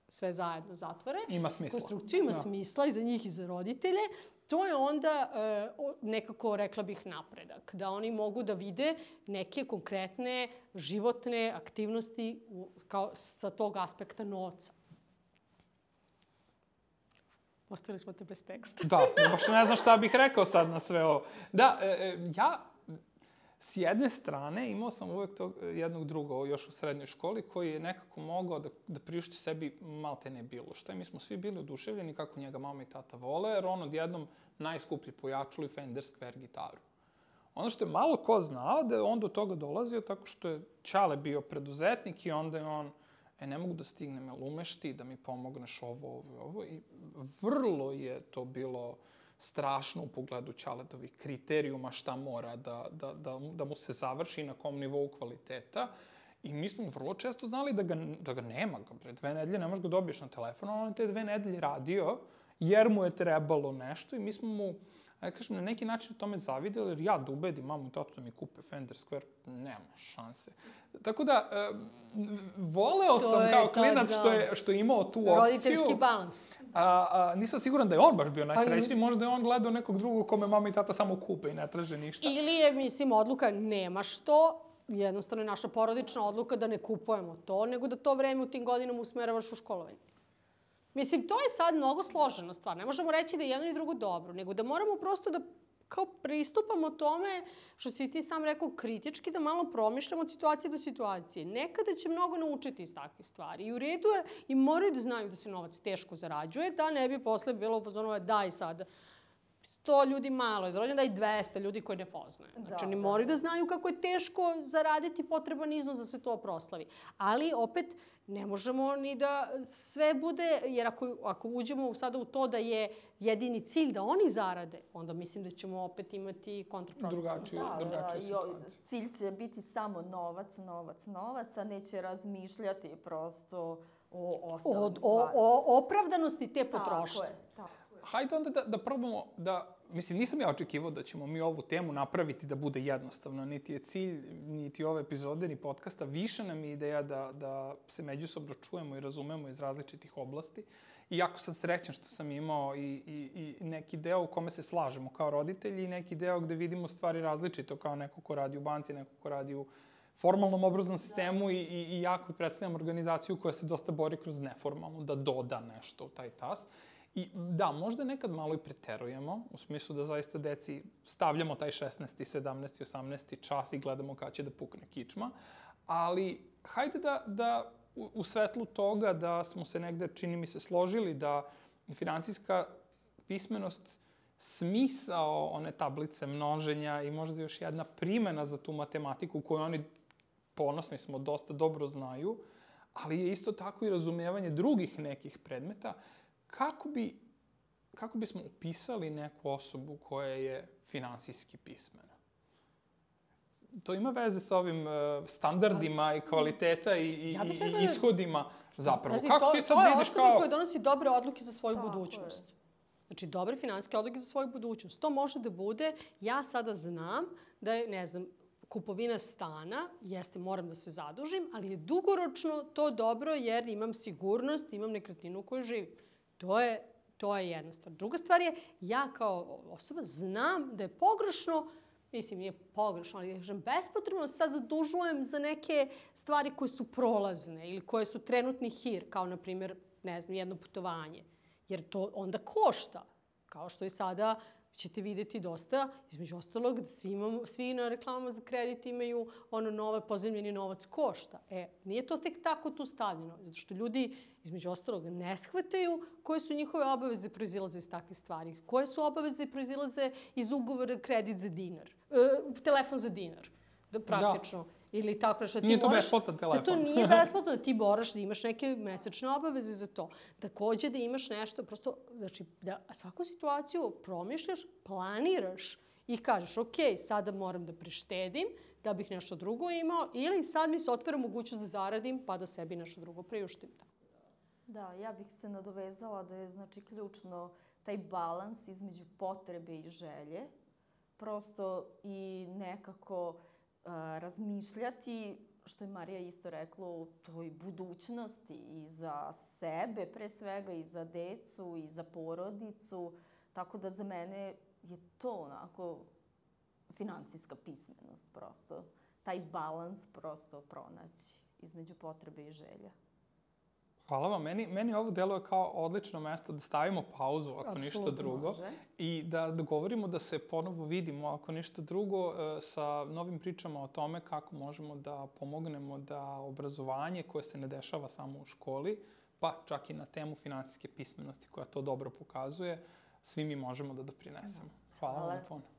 sve zajedno zatvore. Ima smisla. Konstrukciju ima da. smisla i za njih i za roditelje. To je onda e, nekako, rekla bih, napredak. Da oni mogu da vide neke konkretne životne aktivnosti u, kao sa tog aspekta novca. Ostavili smo te bez teksta. Da, baš ne znam šta bih rekao sad na sve ovo. Da, e, ja s jedne strane imao sam uvek tog jednog druga još u srednjoj školi koji je nekako mogao da, da priušti sebi malte ne bilo što. I mi smo svi bili oduševljeni kako njega mama i tata vole, jer on odjednom najskuplji pojačalo i Fender Square gitaru. Ono što je malo ko znao da je on do toga dolazio tako što je Ćale bio preduzetnik i onda je on, e, ne mogu da stignem, jel umeš ti da mi pomogneš ovo, ovo i ovo. I vrlo je to bilo strašno u pogledu Ćaletovih kriterijuma šta mora da, da, da, da mu se završi na kom nivou kvaliteta. I mi smo vrlo često znali da ga, da ga nema. Pre dve nedelje ne možeš ga dobiješ na telefon, on je te dve nedelje radio jer mu je trebalo nešto i mi smo mu, ajde kažem, na neki način tome zavidjeli, jer ja da ubedim mamu i tatu da mi kupe Fender Square, nema šanse. Tako da, e, voleo to sam kao klinac što je, što je imao tu opciju. Roditeljski balans. A, a, nisam siguran da je on baš bio najsrećniji, možda je on gledao nekog drugog kome mama i tata samo kupe i ne traže ništa. Ili je, mislim, odluka nemaš to, jednostavno je naša porodična odluka da ne kupujemo to, nego da to vreme u tim godinama usmeravaš u školovanje. Mislim, to je sad mnogo složena stvar. Ne možemo reći da je jedno i drugo dobro, nego da moramo prosto da kao pristupamo tome, što si ti sam rekao, kritički, da malo promišljamo od situacije do situacije. Nekada će mnogo naučiti iz takvih stvari. I u redu je, i moraju da znaju da se novac teško zarađuje, da ne bi posle bilo u fazonu daj sad sto ljudi malo je zarađeno, daj dvesta ljudi koji ne poznaju. Znači, oni moraju da znaju kako je teško zaraditi potreban iznos da se to proslavi. Ali, opet, ne možemo ni da sve bude, jer ako, ako uđemo sada u to da je jedini cilj da oni zarade, onda mislim da ćemo opet imati kontraproduktivnu drugačiju, da, drugačiju situaciju. Cilj će biti samo novac, novac, novac, a neće razmišljati prosto o ostalim od, stvarima. O, o opravdanosti te potrošnje. Tako je, tako je. Hajde onda da, da probamo da, mislim, nisam ja očekivao da ćemo mi ovu temu napraviti da bude jednostavno, niti je cilj, niti ove epizode, ni podcasta. Više nam je ideja da, da se međusobno čujemo i razumemo iz različitih oblasti. I jako sam srećan što sam imao i, i, i neki deo u kome se slažemo kao roditelji i neki deo gde vidimo stvari različito, kao neko ko radi u banci, neko ko radi u formalnom obrazovnom sistemu i, i, i jako predstavljam organizaciju koja se dosta bori kroz neformalno, da doda nešto u taj tas. I da, možda nekad malo i preterujemo, u smislu da zaista deci stavljamo taj šesnaesti, sedamnaesti, osamnaesti čas i gledamo kada će da pukne kičma, ali hajde da, da u, u svetlu toga da smo se negde, čini mi se, složili da finansijska pismenost, smisao one tablice množenja i možda još jedna primena za tu matematiku koju oni, ponosni smo, dosta dobro znaju, ali je isto tako i razumevanje drugih nekih predmeta. Kako bi, kako bismo upisali neku osobu koja je finansijski pismena? To ima veze sa ovim uh, standardima i kvaliteta i, i, Ja bih i rekla da- ishodima zapravo. Pazi, Kako to, ti sad to je vidiš osoba kao... koja donosi dobre odluke za svoju Tako budućnost. Znači, dobre finansijske odluke za svoju budućnost. To može da bude, ja sada znam da je, ne znam, kupovina stana, jeste, moram da se zadužim, ali je dugoročno to dobro jer imam sigurnost, imam nekretninu u kojoj živim. To je, to je jedna stvar. Druga stvar je, ja kao osoba znam da je pogrešno, mislim, nije pogrešno, ali kažem, bespotrebno sad zadužujem za neke stvari koje su prolazne ili koje su trenutni hir, kao, na primjer, ne znam, jedno putovanje. Jer to onda košta. Kao što i sada ćete vidjeti dosta, između ostalog, da svi, imamo, svi na reklamama za kredit imaju ono nove, pozemljeni novac košta. E, nije to tek tako tu stavljeno, zato što ljudi, između ostalog, ne shvataju koje su njihove obaveze proizilaze iz takvih stvari. Koje su obaveze proizilaze iz ugovora kredit za dinar, e, telefon za dinar, da, praktično. Da. Ili tako što ti nije to moraš, besplatan telefon. Da to nije besplatno, da ti moraš da imaš neke mesečne obaveze za to. Takođe da imaš nešto, prosto, znači, da svaku situaciju promišljaš, planiraš i kažeš, ok, sada moram da prištedim da bih nešto drugo imao ili sad mi se otvara mogućnost da zaradim pa da sebi nešto drugo priuštim. Da, ja bih se nadovezala da je, znači, ključno taj balans između potrebe i želje. Prosto i nekako razmišljati, što je Marija isto rekla, o toj budućnosti i za sebe, pre svega, i za decu, i za porodicu. Tako da za mene je to onako finansijska pismenost prosto. Taj balans prosto pronaći između potrebe i želja. Hvala vam. Meni, meni ovo deluje kao odlično mesto da stavimo pauzu, ako Apsolutno ništa drugo. Može. I da dogovorimo da se ponovo vidimo, ako ništa drugo, sa novim pričama o tome kako možemo da pomognemo da obrazovanje koje se ne dešava samo u školi, pa čak i na temu finansijske pismenosti koja to dobro pokazuje, svi mi možemo da doprinesemo. Hvala, Hvala. vam puno.